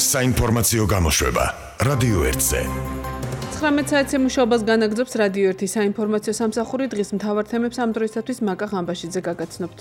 საინფორმაციო გამოშვება რადიო 1-ზე. 19 საათზე მუშაობას განაგრძობს რადიო 1 საინფორმაციო სამსახური. დღის მთავარ თემებს ამ დროისათვის მაკა ღამბაშიძე გაგაცნობთ.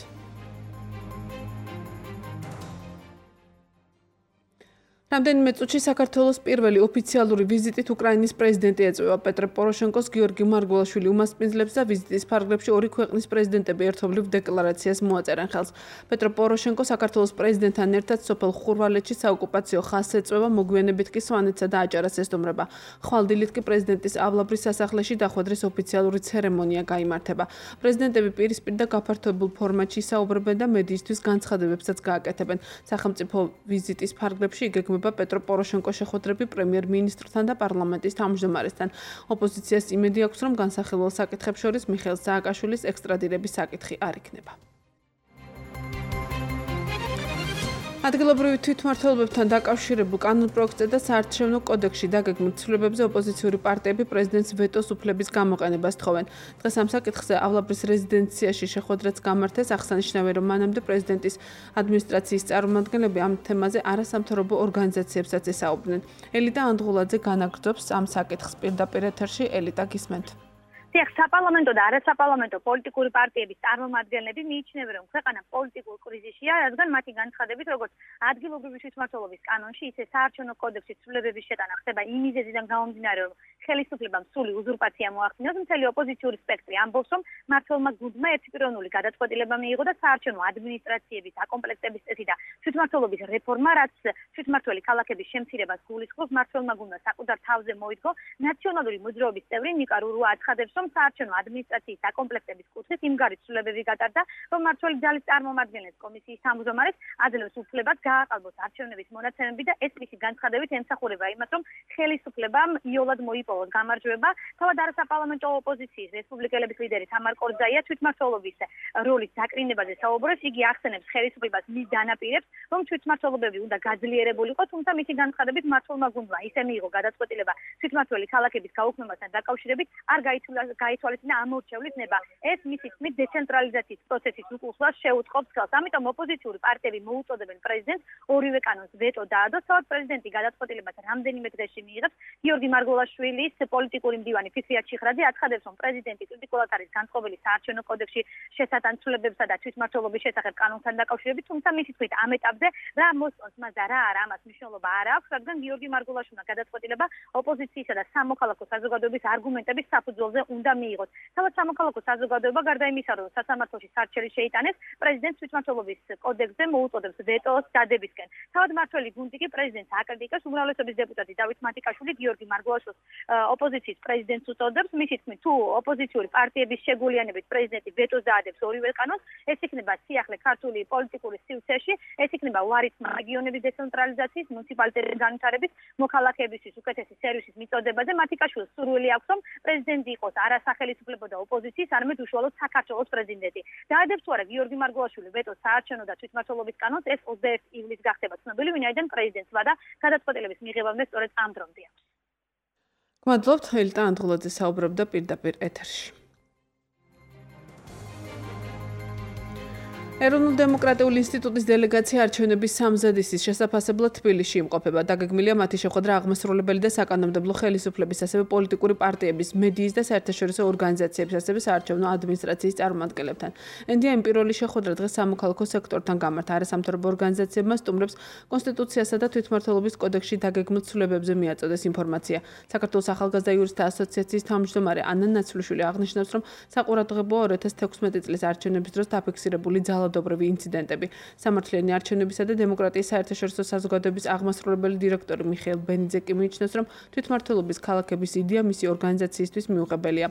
რამდენიმე წუთში საქართველოს პირველი ოფიციალური ვიზიტით უკრაინის პრეზიდენტი ეწვევა. პეტრე პოროშენკოს, გიორგი მარგველაშვილი უმასპინძლებს და ვიზიტის ფარგლებში ორი ქვეყნის პრეზიდენტები ერთობლივ დეკლარაციას მოაწერენ ხელს. პეტრე პოროშენკო საქართველოს პრეზიდენტთან ერთად სოფელ ხურვალეთში საოკუპაციო ხაზს ეწვევა, მოგვიანებით კი სვანეთსა და აჭარას ესტუმრება. ხვალდილით კი პრეზიდენტის ავლაბრის სასახლეში დახვედრის ოფიციალური ცერემონია გაიმართება. პრეზიდენტები პირისპირ და გაფართოებულ ფორმატში ისაუბრებენ და მედიისთვის განცხადებებსაც გააკეთებენ. სახელმწიფო ვიზიტის ფარგლებში იგეგმება პეტრო პოროშენკოს შეხვედრები პრემიერ-მინისტრთან და პარლამენტის თავმჯდომარესთან. ოპოზიციას იმედი აქვს, რომ განსახილველ საკითხებს შორის მიხეილ სააკაშვილის ექსტრადირების საკითხი არ იქნება. ადგილობრივი თვითმმართველობებთან დაკავშირებულ კანონპროექტზე და საარჩევნო კოდექსში დაგეგმილ ცვლილებებზე ოპოზიციური პარტიები პრეზიდენტს ვეტოს უფლების გამოყენებას თხოვენ. დღეს ამ საკითხზე ავლაბრის რეზიდენციაში შეხვედრაც გამართეს. აღსანიშნავია, რომ მანამდე პრეზიდენტის ადმინისტრაციის წარმომადგენლები ამ თემაზე არასამთავრობო ორგანიზაციებსაც ესაუბრნენ. ელიტა ანდღულაძე განაგრძობს ამ საკითხს პირდაპირ ეთერში. ელიტა, გისმენთ. საპარლამენტო და არასაპარლამენტო პოლიტიკური პარტიების წარმომადგენლები მიიჩნევენ, რომ ქვეყანა პოლიტიკურ კრიზისშია, რადგან მათი განცხადებით, როგორც ადგილობრივი თვითმმართველობის კანონში, ისე საარჩევნო კოდექსის ცვლილებების შეტანა ხდება იმ მიზეზიდან გამომდინარე, რომ ხელისუფლებამ სრული უზურპაცია მოახდინოს. მთელი ოპოზიციური სპექტრი ამბობს, რომ მმართველმა გუნდმა ერთპიროვნული გადაწყვეტილება მიიღო და საარჩევნო ადმინისტრაციების აკომპლექტების წესი და თვითმმართველობის რეფორმა, რაც თვითმმართველი ქალაქების შემცირებას გულისხმობს, მმართველმა გუნდმა საკუთარ თავზე მოიდგო. ნაციონალური მოძრაობის წევრი ნიკა რურუა აცხადებს, რომ საარჩევნო ადმინისტრაციის აკომპლექტების კუთხით იმგარი ცვლილებები გატარდა, რომ მმართველი ძალის წარმომადგენლებს კომისიის თავმჯდომარეს აძლევს უფლებას გააყალბოს არჩევნების მონაცემები და ეს მისი განცხადებით ემსახურება იმას, რომ ხელისუფლებამ იოლად მოიპოვოს გამარჯვება. თავად არასაპარლამენტო ოპოზიციის რესპუბლიკელების ლიდერი თამარ კორძაია თვითმმართველობის როლის დაკრინებაზე საუბრობს. იგი ახსენებს ხელისუფლებას მის დანაპირებს, რომ თვითმმართველობები უნდა გაძლიერებულიყო, თუმცა მისი განცხადებით მმართველმა გუნდმა ისე მიიღო გადაწყვეტილება თვითმმართველი ქალაქების გაუქმებასთან დაკავშირებით არ გაითვალისწინა ამორჩევლის ნება. ეს მისი თქმით დეცენტრალიზაციის პროცესის უკუსვას შეუწყობს ხელს. ამიტომ ოპოზიციური პარტიები მოუწოდებენ პრეზიდენტს ორივე კანონს ვეტო დაადოს. თავად პრეზიდენტი გადაწყვეტილებას რამდენიმე დღეში მიიღებს. გიორგი მარგველაშვილის პოლიტიკური მდივანი ფიქრია ჩიხრაძე აცხადებს, რომ პრეზიდენტი კრიტიკულად არის განწყობილი საარჩევნო კოდექსში შესატან ცვლილებებსა და თვითმმართველობის შესახებ კანონთან დაკავშირებით, თუმცა მისი თქმით ამ ეტაპზე რა მოსწონს მას და რა არა ამას მნიშვნელობა არ აქვს, რადგან გიორგი მარგველაშვილმა გადაწყვეტილება ოპოზიციისა და სამოქალაქო საზოგადოების არგუმენტების საფუძველზე უნდა მიიღოს. თავად სამოქალაქო საზოგადოება გარდა იმისა, რომ სასამართლოში სარჩელი შეიტანეს, პრეზიდენტს თვითმმართველობის კოდექსზე მოუწოდებს ვეტოს დადებისკენ. თავად მმართველი გუნდი კი პრეზიდენტს აკრიტიკებს. უმრავლესობის დეპუტატი დავით მატიკაშვილი გიორგი მარგველაშვილს ოპოზიციის პრეზიდენტს უწოდებს. მისი თქმით, თუ ოპოზიციური პარტიების შეგულიანებით პრეზიდენტი ვეტოს დაადებს ორივე კანონს, ეს იქნება სიახლე ქართული პოლიტიკური სივრცეში, ეს იქნება უარისმა რეგიონების დეცენტრალიზაციის, მუნიციპალიტეტების განვითარების, მოქალაქეებისთვის უკეთესი სერვისის მიწოდებაზე. მატიკაშვილს სურვილი აქვს, რომ პრეზიდენტი იყოს არა სახელმწიფო და ოპოზიციის, არამედ უშუალოდ საქართველოს პრეზიდენტი. დაადებს თუ არა გიორგი მარგველაშვილი ვეტოს საარჩევნო და თვითმმართველობის კანონს, ეს 21 ივლისს გახდება ცნობილი, ვინაიდან პრეზიდენტს ვადა გადაწყვეტილების მიღებამდე სწორედ ამ დრომდე აქვს. გმადლობთ, ელიტა ანდღულაძე საუბრობდა პირდაპირ ეთერში. ეროვნულ-დემოკრატიული ინსტიტუტის დელეგაცია არჩევნების სამზადისის შესაფასებლად თბილისში იმყოფება. დაგეგმილია მათი შეხვედრა აღმასრულებელი და საკანონმდებლო ხელისუფლების, ასევე პოლიტიკური პარტიების, მედიის და საერთაშორისო ორგანიზაციების, ასევე საარჩევნო ადმინისტრაციის წარმომადგენლებთან. ენდიაიმ პირველი შეხვედრა დღეს სამოქალაქო სექტორთან გამართა. არასამთავრობო ორგანიზაციებმა სტუმრებს კონსტიტუციასა და თვითმმართველობის კოდექსში დაგეგმილ ცვლილებებზე მიაწოდეს ინფორმაცია. საქართველოს ახალგაზრდა იურისტთა ასოციაციის თავმჯდომარე ანა ნაცვლიშვილი აღნიშნავს, რომ საყურადღებოა 2016 წლის არჩევნების დროს დაფიქსირებული ძალადობრივი ინციდენტები. სამართლიანი არჩევნებისა და დემოკრატიის საერთაშორისო საზოგადოების აღმასრულებელი დირექტორი მიხეილ ბენიძე კი მიიჩნევს, რომ თვითმმართველობის ქალაქების იდეა მისი ორგანიზაციისთვის მიუღებელია.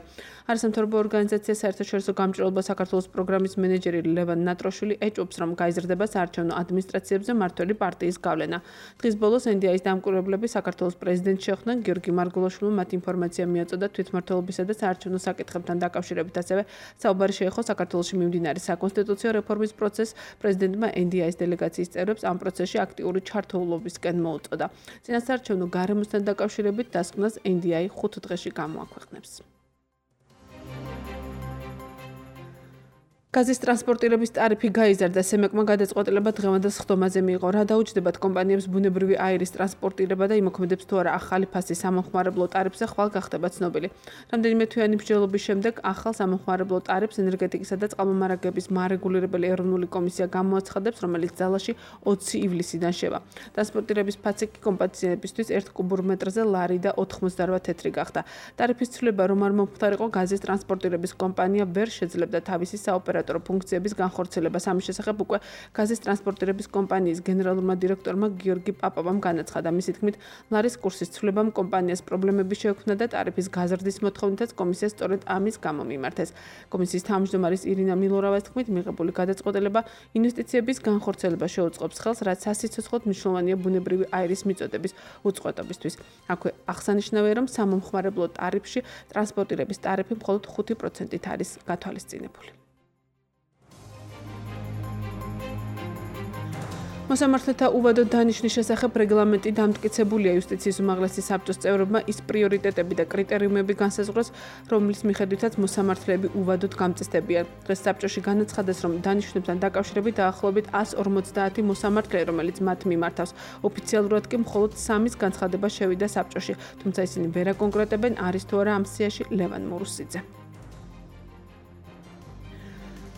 არასამთავრობო ორგანიზაცია საერთაშორისო გამჭირვალობა საქართველოს პროგრამის მენეჯერი ლევან ნატროშვილი ეჭვობს, რომ გაიზრდება საარჩევნო ადმინისტრაციებზე მმართველი პარტიის გავლენა. დღის ბოლოს NDI-ის დამკვირვებლები საქართველოს პრეზიდენტს შეხვდნენ. გიორგი მარგველაშვილმა მათ ინფორმაცია მიაწოდა თვითმმართველობისა და საარჩევნო საკითხებთან დაკავშირებით, ასევე საუბარი შეეხო საქართველოში მიმდინარე საკონსტიტუციო რეფორმის პროცესს. პრეზიდენტმა NDI-ის დელეგაციის წევრებს ამ პროცესში აქტიური ჩართულობისკენ მოუწოდა. წინასაარჩევნო გარემოსთან დაკავშირებით დასკვნას NDI 5 დღეში გამოაქვეყნებს. გაზის ტრანსპორტირების ტარიფი გაიზარდა. სემეკმა გადაწყვეტილება დღევანდელ სხდომაზე მიიღო. რა დაუჯდება კომპანიებს ბუნებრივი აირის ტრანსპორტირება და იმოქმედებს თუ არა ახალი ფასი სამომხმარებლო ტარიფზე ხვალ გახდება ცნობილი. რამდენიმე თვიანი მსჯელობის შემდეგ ახალ სამომხმარებლო ტარიფს ენერგეტიკისა და წყალმომარაგების მარეგულირებელი ეროვნული კომისია გამოაცხადებს, რომელიც ძალაში 20 ივლისიდან შევა. ტრანსპორტირების ფასი კომპანიებისთვის 1 კუბურ მეტრზე ლარი და 98 თეთრი გახდა. ტარიფის ცვლილება რომ არ მომხდარიყო, გაზის ტრანსპორტირების კომპანია ვერ შეძლებდა თავისი საოპერატორო ფუნქციების განხორციელებას. ამის შესახებ უკვე გაზის ტრანსპორტირების კომპანიის გენერალურმა დირექტორმა გიორგი პაპავამ განაცხადა. მისი თქმით, ლარის კურსის ცვლილებამ კომპანიას პრობლემები შეექმნა და ტარიფის გაზრდის მოთხოვნითაც კომისია სწორედ ამის გამო მიმართეს. კომისიის თავმჯდომარის ირინა მილორავას თქმით, მიღებული გადაწყვეტილება ინვესტიციების განხორციელებას შეუწყობს ხელს, რაც სასიცოცხლოდ მნიშვნელოვანია ბუნებრივი აირის მიწოდების უწყვეტობისთვის. აქვე აღსანიშნავია, რომ სამომხმარებლო ტარიფში ტრანსპორტირების ტარიფი მხოლოდ 5%-ით არის გათვალისწინებული. მოსამართლეთა უვადო დანიშვნის შესახებ რეგლამენტი დამტკიცებულია. იუსტიციის უმაღლესი საბჭოს წევრებმა ის პრიორიტეტები და კრიტერიუმები განსაზღვრეს, რომლის მიხედვითაც მოსამართლეები უვადოდ გამწესდებიან. დღეს საბჭოში განაცხადეს, რომ დანიშვნებთან დაკავშირებით დაახლოებით 150 მოსამართლე, რომელიც მათ მიმართავს. ოფიციალურად კი მხოლოდ 3-ის განცხადება შევიდა საბჭოში, თუმცა ისინი ვერ აკონკრეტებენ, არის თუ არა ამ სიაში ლევან მურუსიძე.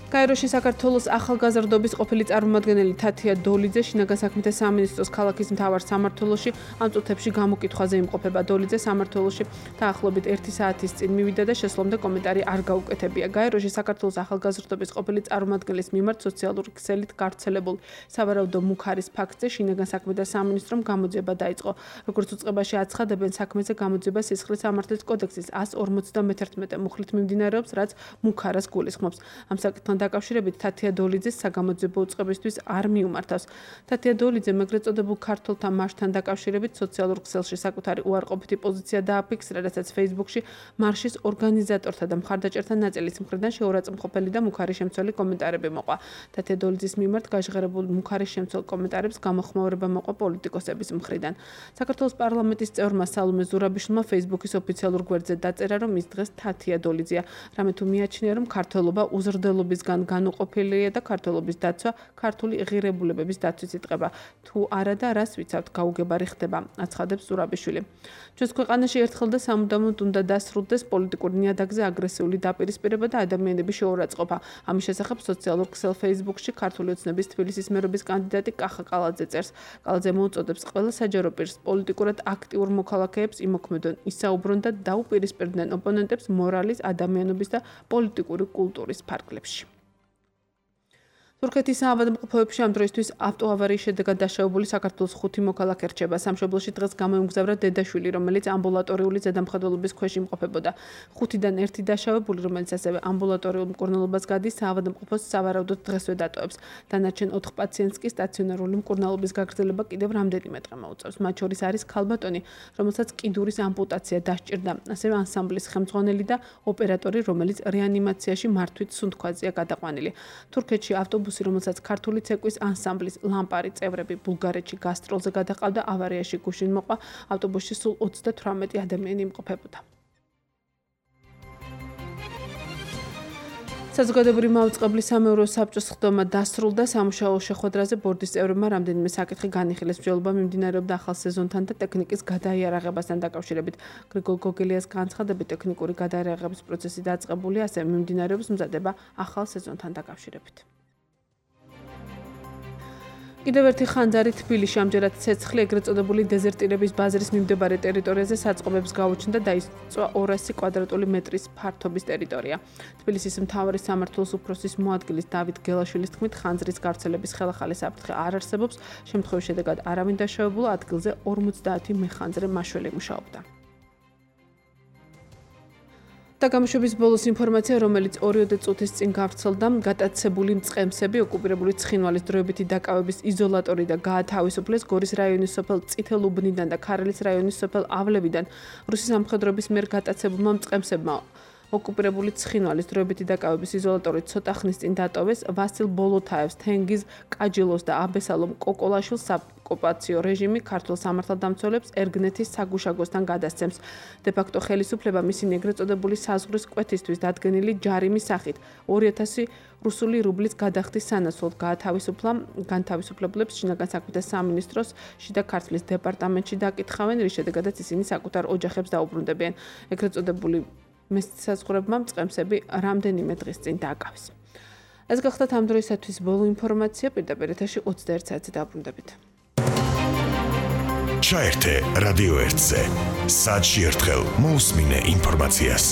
კაიროში საქართველოს ახალგაზრდობის ყოფილი წარმომადგენელი თათია დოლიძე შინაგან საქმეთა სამინისტროს ქალაქის მთავარ სამმართველოში ამ წუთებში გამოკითხვაზე იმყოფება. დოლიძე სამმართველოში დაახლოებით 1 საათის წინ მივიდა და შესვლამდე კომენტარი არ გაუკეთებია. კაიროში საქართველოს ახალგაზრდობის ყოფილი წარმომადგენლის მიმართ სოციალური ქსელით გავრცელებულ სავარაუდო მუქარის ფაქტზე შინაგან საქმეთა სამინისტრომ გამოძიება დაიწყო. როგორც უწყებაში აცხადებენ, საქმეზე გამოძიება სისხლის სამართლის კოდექსის 151 მუხლით მიმდინარეობს, რაც მუქარას გულისხმობს. ამ საკითხთან დაკავშირებით თათია დოლიძეს საგამოძიებო უწყებისთვის არ მიუმართავს. თათია დოლიძემ ეგრეთ წოდებულ ქართველთა მარშთან დაკავშირებით სოციალურ ქსელში საკუთარი უარყოფითი პოზიცია დააფიქსირა, რასაც Facebook-ში მარშის ორგანიზატორთა და მხარდაჭერთა ნაწილის მხრიდან შეურაცხმყოფელი და მუქარი შემცველი კომენტარები მოყვა. თათია დოლიძის მიმართ გაჟღერებულ მუქარი შემცველ კომენტარებს გამოხმაურება მოყვა პოლიტიკოსების მხრიდან. საქართველოს პარლამენტის წევრმა სალომე ზურაბიშვილმა Facebook-ის ოფიციალურ გვერდზე დაწერა, რომ ის დღეს თათია დოლიძეა. რამე თუ მიაჩნია, რომ ქართველობა უზრდელობისგან განუყოფელია და ქართველობის დაცვა ქართული ღირებულებების დაცვის იტყება. თუ არა და რას ვიცავთ, გაუგებარი ხდება, აცხადებს ზურაბიშვილი. ჩვენს ქვეყანაში ერთხელ და სამუდამოდ უნდა დასრულდეს პოლიტიკური ნიადაგზე აგრესიული დაპირისპირება და ადამიანების შეურაცხყოფა. ამის შესახებ სოციალურ ქსელ Facebook-ში ქართული ოცნების თბილისის მერობის კანდიდატი კახა კალაძე წერს. კალაძე მოუწოდებს ყველა საჯარო პირს პოლიტიკურად აქტიურ მოქალაქეებს იმოქმედონ, ისაუბრონ და დაუპირისპირდნენ ოპონენტებს მორალის, ადამიანობის და პოლიტიკური კულტურის ფარგლებში. თურქეთის საავადმყოფოებში ამ დროისთვის ავტოავარიის შედეგად დაშავებული საქართველოს 5 მოქალაქე რჩება. სამშობლოში დღეს გამოიმგზავრა დედაშვილი, რომელიც ამბულატორიული ზედამხედველობის ქვეშ იმყოფებოდა. 5-დან 1 დაშავებული, რომელიც ასევე ამბულატორიულ მკურნალობას გადის, საავადმყოფოს სავარაუდოდ დღესვე დატოვებს. დანარჩენ 4 პაციენტს კი სტაციონარული მკურნალობის გაგრძელება კიდევ რამდენიმე დღე მოუწევს. მათ შორის არის ქალბატონი, რომელსაც კიდურის ამპუტაცია დასჭირდა, ასევე ანსამბლის ხელმძღვანელი და ოპერატორი, რომელიც რეანიმაციაში მართვით სუნთქვაზეა გადაყვანილი. თურქეთში რომელსაც ქართული ცეკვის ანსამბლის ლამპარი წევრები ბულგარეთში გასტროლზე გადაყავდა, ავარიაში გუშინ მოყვა. ავტობუსში სულ 38 ადამიანი იმყოფებოდა. საზოგადოებრივი მაუწყებლის სამეურვეო საბჭოს სხდომა დასრულდა. სამუშაო შეხვედრაზე ბორდის წევრებმა რამდენიმე საკითხი განიხილეს. მსჯელობა მიმდინარეობდა ახალ სეზონთან და ტექნიკის გადაიარაღებასთან დაკავშირებით. გრიგოლ გოგელიას განცხადებით, ტექნიკური გადაიარაღების პროცესი დაწყებულია, ასევე მიმდინარეობს მზადება ახალ სეზონთან დაკავშირებით. კიდევ ერთი ხანძარი თბილისში ამჯერად ცეცხლი ეგრეთ წოდებული დეზერტირების ბაზრის მიმდებარე ტერიტორიაზე საწყობებს გაუჩნდა და დაიწვა 200 კვადრატული მეტრის ფართობის ტერიტორია. თბილისის მთავარი სამმართველოს უფროსის მოადგილის დავით გელაშვილის თქმით, ხანძრის გავრცელების ხელახალი საფრთხე არ არსებობს. შემთხვევის შედეგად არავინ დაშავებულა, ადგილზე 50 მეხანძრე მაშველი მუშაობდა. და გამოშვების ბოლოს ინფორმაცია, რომელიც 2 წუთის წინ გავრცელდა, გატაცებული მწყემსები ოკუპირებული ცხინვალის დროებითი დაკავების იზოლატორი და გაათავისუფლეს გორის რაიონის სოფელ წითელუბნიდან და ქარელის რაიონის სოფელ ავლევიდან. რუსის სამხედროების მიერ გატაცებულმა მწყემსებმა ოკუპირებული ცხინვალის დროებითი დაკავების იზოლატორი ცოტა ხნის წინ დატოვეს ვასილ ბოლოთაევს, თენგიზ კაჯილოს და აბესალომ კოკოლაშვილს ოკუპაციო რეჟიმი ქართულ სამართალდამცველებს ერგნეთის საგუშაგოსთან გადასცემს. დე-ფაქტო ხელისუფლება მისინი ეგრეთ წოდებული საზღვრის კვეთისთვის დადგენილი ჯარიმის სახით 2000 რუსული რუბლის გადახდის სანაცვლოდ განთავისუფლებლებს შინაგან საქმეთა სამინისტროს შიდა ქართლის დეპარტამენტში დაკითხავენ, რის შედეგადაც ისინი საკუთარ ოჯახებს დაუბრუნდებიან. ეგრეთ წოდებული მესაცხოვრებმა მწყემსები რამდენიმე დღის წინ დააკავეს. ეს გახდათ ამ დროისათვის ბოლო ინფორმაცია, პირდაპირ ეთერში 21 საათზე დაბრუნდებით. ჩაერთე რადიო 1-ზე. საათში ერთხელ მოусმინე ინფორმაციას.